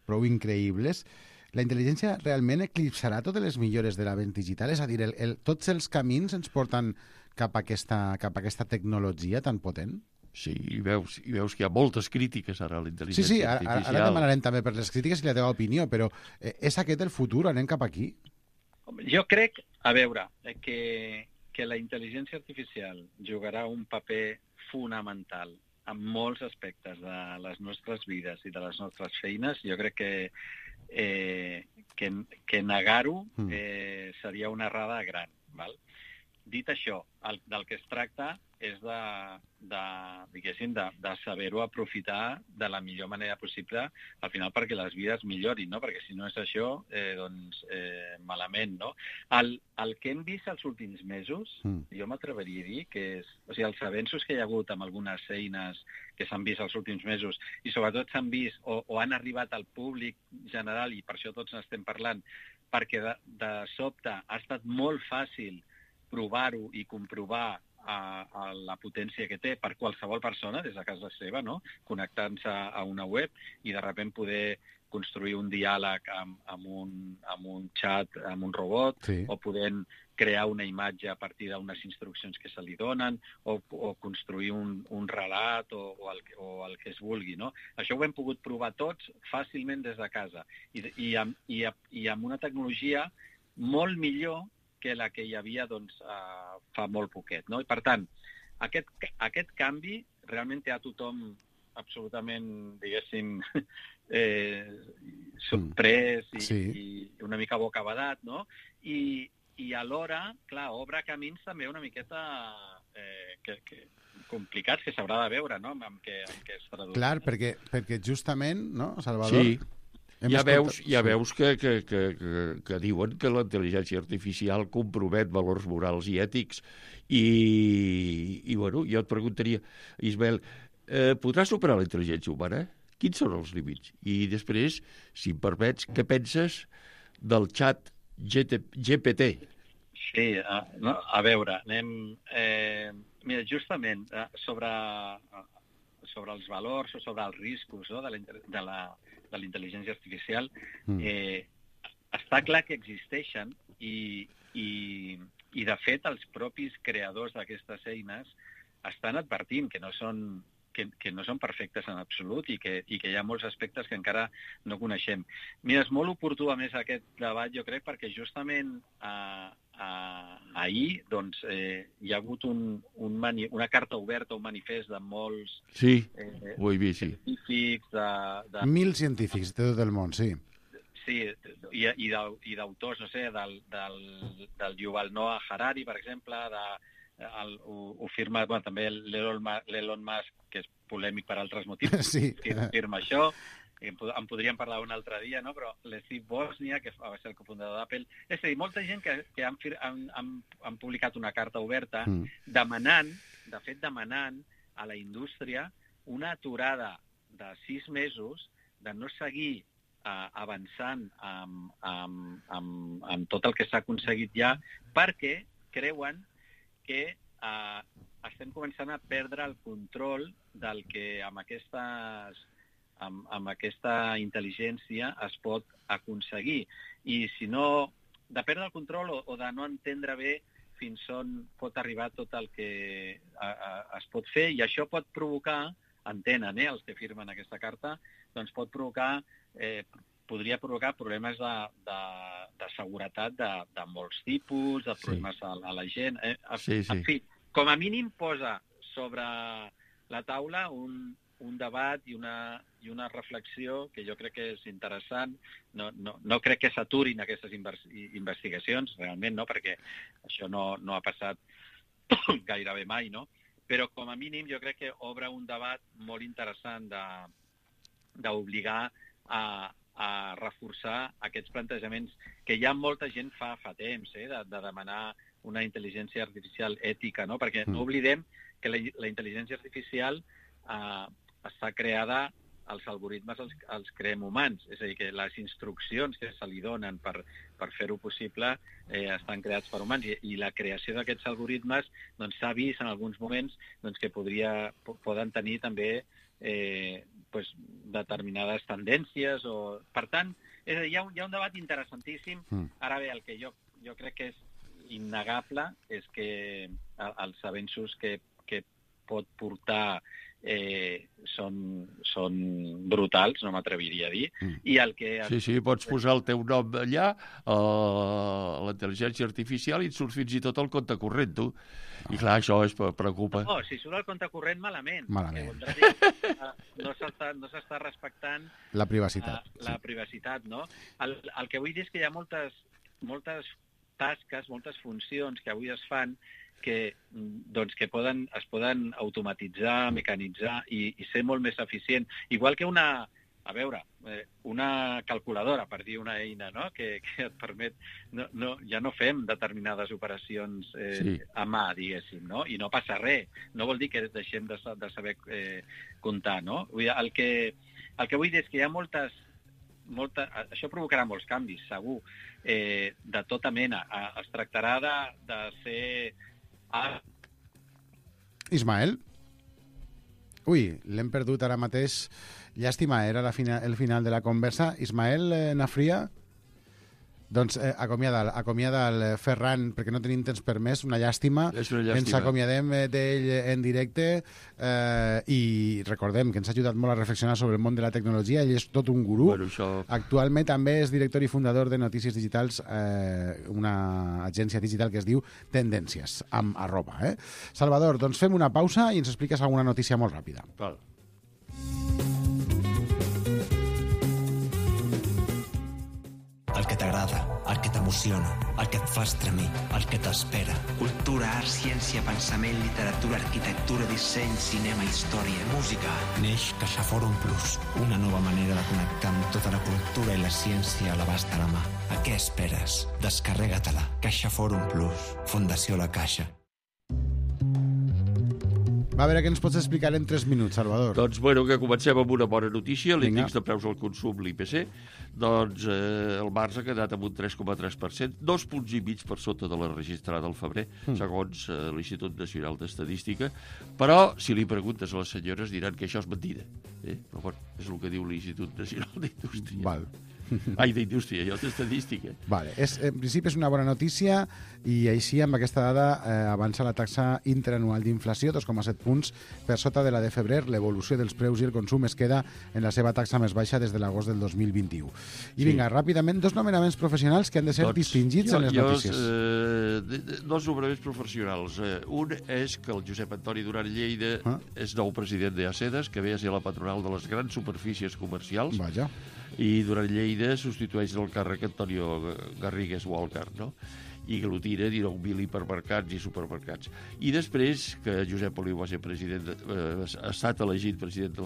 prou increïbles. La intel·ligència realment eclipsarà totes les millores de l'avenç digital? És a dir, tots els camins ens porten cap a aquesta tecnologia tan potent? Sí, i veus que hi ha moltes crítiques ara a la intel·ligència artificial. Ara demanarem també per les crítiques i la teva opinió, però és aquest el futur? Anem cap aquí? Jo crec, a veure, que la intel·ligència artificial jugarà un paper fonamental en molts aspectes de les nostres vides i de les nostres feines. Jo crec que negar-ho seria una errada gran. Val? Dit això, del que es tracta és de saber-ho aprofitar de la millor manera possible, al final perquè les vides millorin, no? Perquè si no és això, malament, no? El que hem vist els últims mesos, jo m'atreveria a dir que els avenços que hi ha hagut amb algunes eines que s'han vist els últims mesos i sobretot s'han vist o han arribat al públic general, i per això tots n'estem parlant, perquè de sobte ha estat molt fàcil provar-ho i comprovar la potència que té per qualsevol persona des de casa seva, no? Connectant-se a una web i de sobte poder construir un diàleg amb un xat, amb un robot, sí. O podent crear una imatge a partir d'unes instruccions que se li donen, o construir un relat o el que es vulgui, no? Això ho hem pogut provar tots fàcilment des de casa i amb una tecnologia molt millor que la que hi havia fa molt poquet, no? I per tant, aquest canvi realment té a tothom absolutament, diguéssim, sorprès i una mica bocabadat, no? I alhora, clar, obre camins també una miqueta complicats que s'haurà de veure, no?, amb què es tradueix. Clar, perquè justament, no, Salvador? Sí. Ja veus que diuen que la intel·ligència artificial compromet valors morals i ètics i bueno, jo et preguntaria, Ismael, podrà superar la intel·ligència humana? Quins són els límits? I després, si em permets, què penses del xat GPT? Sí, a veure, anem... Mira, justament, sobre els valors o sobre els riscos, no?, de la intel·ligència artificial, està clar que existeixen i de fet els propis creadors d'aquestes eines estan advertint que no són perfectes en absolut i que hi ha molts aspectes que encara no coneixem. Mira, és molt oportú a més aquest debat, jo crec, perquè justament ahir hi ha hagut una carta oberta, un manifest de molts científics... 1.000 científics de tot el món, sí. Sí, i d'autors, no sé, del Yuval Noah Harari, per exemple, ho firma també l'Elon Musk, que és polèmic per altres motius, que firma això. En podríem parlar un altre dia, no? Però l'Steve Wozniak, que va ser el cofundador d'Apple... És a dir, molta gent que han publicat una carta oberta demanant a la indústria una aturada de 6 mesos de no seguir avançant amb tot el que s'ha aconseguit ja, perquè creuen que estem començant a perdre el control del que amb aquesta intel·ligència es pot aconseguir. I si no, de perdre el control o de no entendre bé fins on pot arribar tot el que es pot fer, i això pot provocar, entenen els que firmen aquesta carta, doncs podria provocar problemes de seguretat de molts tipus, de problemes a la gent. En fi, com a mínim posa sobre la taula un debat i una reflexió que jo crec que és interessant. No crec que s'aturin aquestes investigacions, realment, no, perquè això no ha passat gairebé mai, no? Però com a mínim jo crec que obre un debat molt interessant d'obligar a reforçar aquests plantejaments que ja molta gent fa temps, de demanar una intel·ligència artificial ètica, no? Perquè no oblidem que la intel·ligència artificial està creada, els algoritmes els creem humans, és a dir, que les instruccions que se li donen per fer-ho possible estan creats per humans, i la creació d'aquests algoritmes s'ha vist en alguns moments que poden tenir també determinades tendències. Per tant, és a dir, hi ha un debat interessantíssim. Ara bé, el que jo crec que és innegable és que els avenços que pot portar són brutals, no m'atreviria a dir. I el que... Sí, pots posar el teu nom allà, la intel·ligència artificial, i et surt fins i tot el compte corrent, tu. I clar, això es preocupa. No, si surt el compte corrent, malament. No s'està respectant la privacitat. La privacitat, no? El que vull dir és que hi ha moltes tasques, moltes funcions que avui es fan que es poden automatitzar, mecanitzar i ser molt més eficient. Igual que una calculadora, per dir una eina, no? Que et permet... Ja no fem determinades operacions a mà, diguéssim, no? I no passa res. No vol dir que deixem de saber comptar, no? El que vull dir és que hi ha això provocarà molts canvis, segur, de tota mena. Es tractarà de ser... Ismael? Ui, l'hem perdut ara mateix. Llàstima, era el final de la conversa. Ismael Nafria? Doncs acomiada el Ferran, perquè no tenim temps per més, una llàstima. Ens acomiadem d'ell en directe i recordem que ens ha ajudat molt a reflexionar sobre el món de la tecnologia. Ell és tot un gurú. Actualment també és director i fundador de Notícies Digitals, una agència digital que es diu Tendències, amb @ Salvador, doncs fem una pausa i ens expliques alguna notícia molt ràpida. Val. El que t'agrada, el que t'emociona, el que et fa estremir, el que t'espera. Cultura, art, ciència, pensament, literatura, arquitectura, disseny, cinema, història, música. Neix CaixaForum Plus, una nova manera de connectar amb tota la cultura i la ciència a l'abast de la mà. A què esperes? Descarrega-te-la. CaixaForum Plus. Fundació La Caixa. Va, a veure què ens pots explicar en 3 minuts, Salvador. Doncs, que comencem amb una bona notícia. L'índex de preus al consum, l'IPC, doncs el març ha quedat amb un 3,3%, 2,5 punts per sota de la registrada al febrer, segons l'Institut Nacional d'Estadística. Però, si li preguntes a les senyores, diran que això és mentida. Però, bueno, és el que diu l'Institut Nacional d'Indústria. Val. Ai, d'indústria, jo d'estadística. Vale. En principi és una bona notícia i així amb aquesta dada avança la taxa interanual d'inflació, 2,7 punts per sota de la de febrer. L'evolució dels preus i el consum es queda en la seva taxa més baixa des de l'agost del 2021. I vinga, ràpidament, 2 nomenaments professionals que han de ser distingits en les notícies. 2 nomenaments professionals. Un és que el Josep Antoni Duran Lleida és nou president d'ACEDES, que ve a ser la patronal de les grans superfícies comercials. Vaja. I Duran Lleida substitueix el càrrec Antonio Garrigues Walker, no? I aglutina 19.000 hipermercats i supermercats. I després que Josep Oliu va ser ha estat elegit president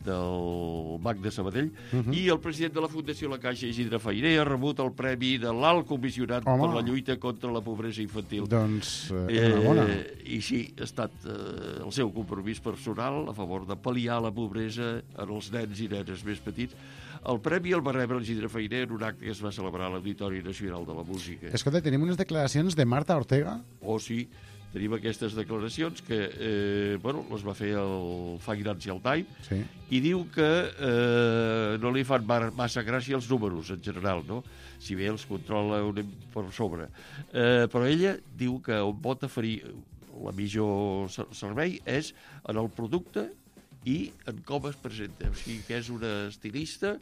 del Banc de Sabadell, i el president de la Fundació La Caixa, Isidre Fainé, ha rebut el premi de l'Alt Comissionat per la lluita contra la pobresa infantil. Doncs, enhorabona. I sí, ha estat el seu compromís personal a favor de pal·liar la pobresa en els nens i nenes més petits. El premi el va rebre el Isidre Fainé en un acte que es va celebrar a l'Auditori Nacional de la Música. Escolta, tenim unes declaracions declaracions de Marta Ortega? Oh, sí, tenim aquestes declaracions que les va fer el Financial Times, sí. I diu que no li fan massa gràcia els números, en general, no? Si bé els controla per sobre. Però ella diu que on pot oferir la millor servei és en el producte i en com es presenta. O sigui que és una estilista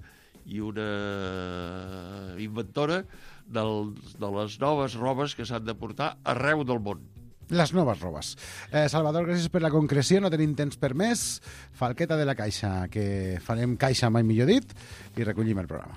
i una inventora de les noves robes que s'han de portar arreu del món. Les noves robes. Salvador, gràcies per la concreció, no tenim temps per més. Falqueta de la caixa, que farem caixa mai millor dit, i recollim el programa.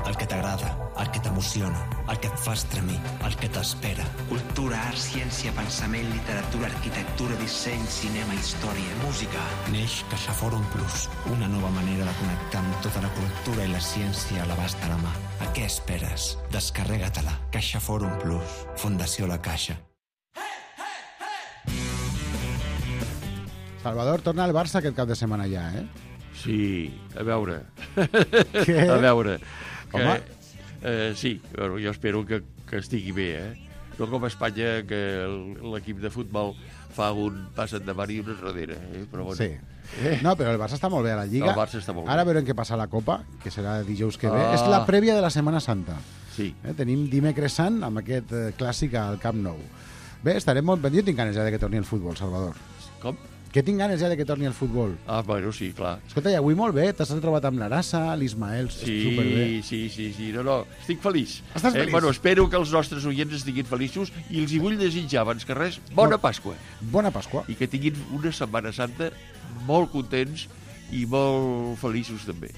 El que t'agrada, el que t'emociona, el que et fa estremir, el que t'espera. Cultura, art, ciència, pensament, literatura, arquitectura, disseny, cinema, història, música. Neix CaixaForum Plus, una nova manera de connectar amb tota la cultura i la ciència a l'abast de la mà. A què esperes? Descarrega-te-la. CaixaForum Plus. Fundació La Caixa. Salvador, torna al Barça aquest cap de setmana ja, eh? Sí, a veure. Què? A veure. Home. Sí, bueno, jo espero que estigui bé, eh? No com a Espanya, que l'equip de futbol fa un pas endavant i un enrere, però bueno. Sí. No, però el Barça està molt bé a la Lliga. El Barça està molt bé. Ara veurem què passa a la Copa, que serà dijous que ve. És la prèvia de la Setmana Santa. Sí. Tenim dimecres sant amb aquest clàssic al Camp Nou. Bé, estarem molt... Jo tinc ganes ja de que torni el futbol, Salvador. Com? Que tinc ganes ja de que torni el futbol. Ah, bueno, sí, clar. Escolta, i avui molt bé, t'has trobat amb l'Arassa, l'Ismael, superbé. Sí, no, estic feliç. Estàs feliç? Bueno, espero que els nostres oients estiguin feliços i els hi vull desitjar, abans que res, bona Pasqua. Bona Pasqua. I que tinguin una Setmana Santa molt contents i molt feliços també.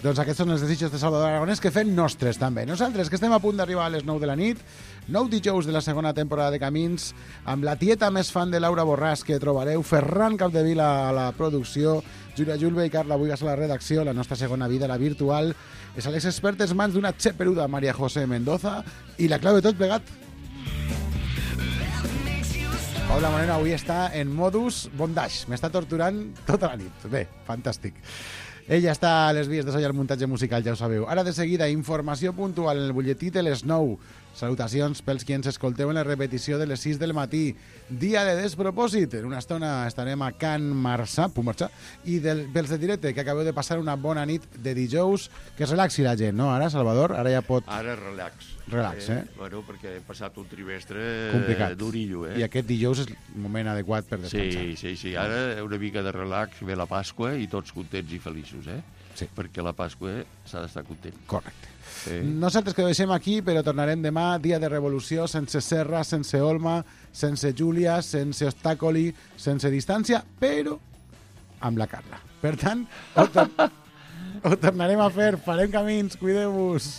Doncs aquests són els desitjos de Salvador Aragonès que fem nostres també. Nosaltres, que estem a punt d'arribar a les 9 de la nit, 9 dijous de la segona temporada de Camins, amb la tieta més fan de Laura Borràs que trobareu, Ferran Capdevila a la producció, Júlia Julve i Carla Buigas a la redacció, la nostra segona vida, la virtual, és a les expertes mans d'una xeperuda Maria José Mendoza i la clau de tot plegat. Paula Moreno avui està en modus bondage, m'està torturant tota la nit. Bé, fantàstic. Ella està a les vies de so i al muntatge musical, ja ho sabeu. Ara de seguida, informació puntual en el butlletí de les 9. Salutacions pels qui ens escolteu en la repetició de les 6 del matí. Dia de despropòsit. En una estona estarem a Can Marçà, i pels de directe, que acabeu de passar una bona nit de dijous, que es relaxi la gent, no? Ara, Salvador, ara ja pot... Ara relax. Relax, Bueno, perquè he passat un trimestre complicat. Durillo, I aquest dijous és el moment adequat per descansar. Sí. Ara una mica de relax, ve la Pasqua i tots contents i feliços, Sí. Perquè la Pasqua s'ha d'estar content. Correcte. Nosaltres que ho deixem aquí, però tornarem demà, dia de revolució, sense Serra, sense Olma, sense Júlia, sense obstàcoli, sense distància, però amb la Carla. Per tant, ho tornarem a fer, farem camins, cuideu-vos.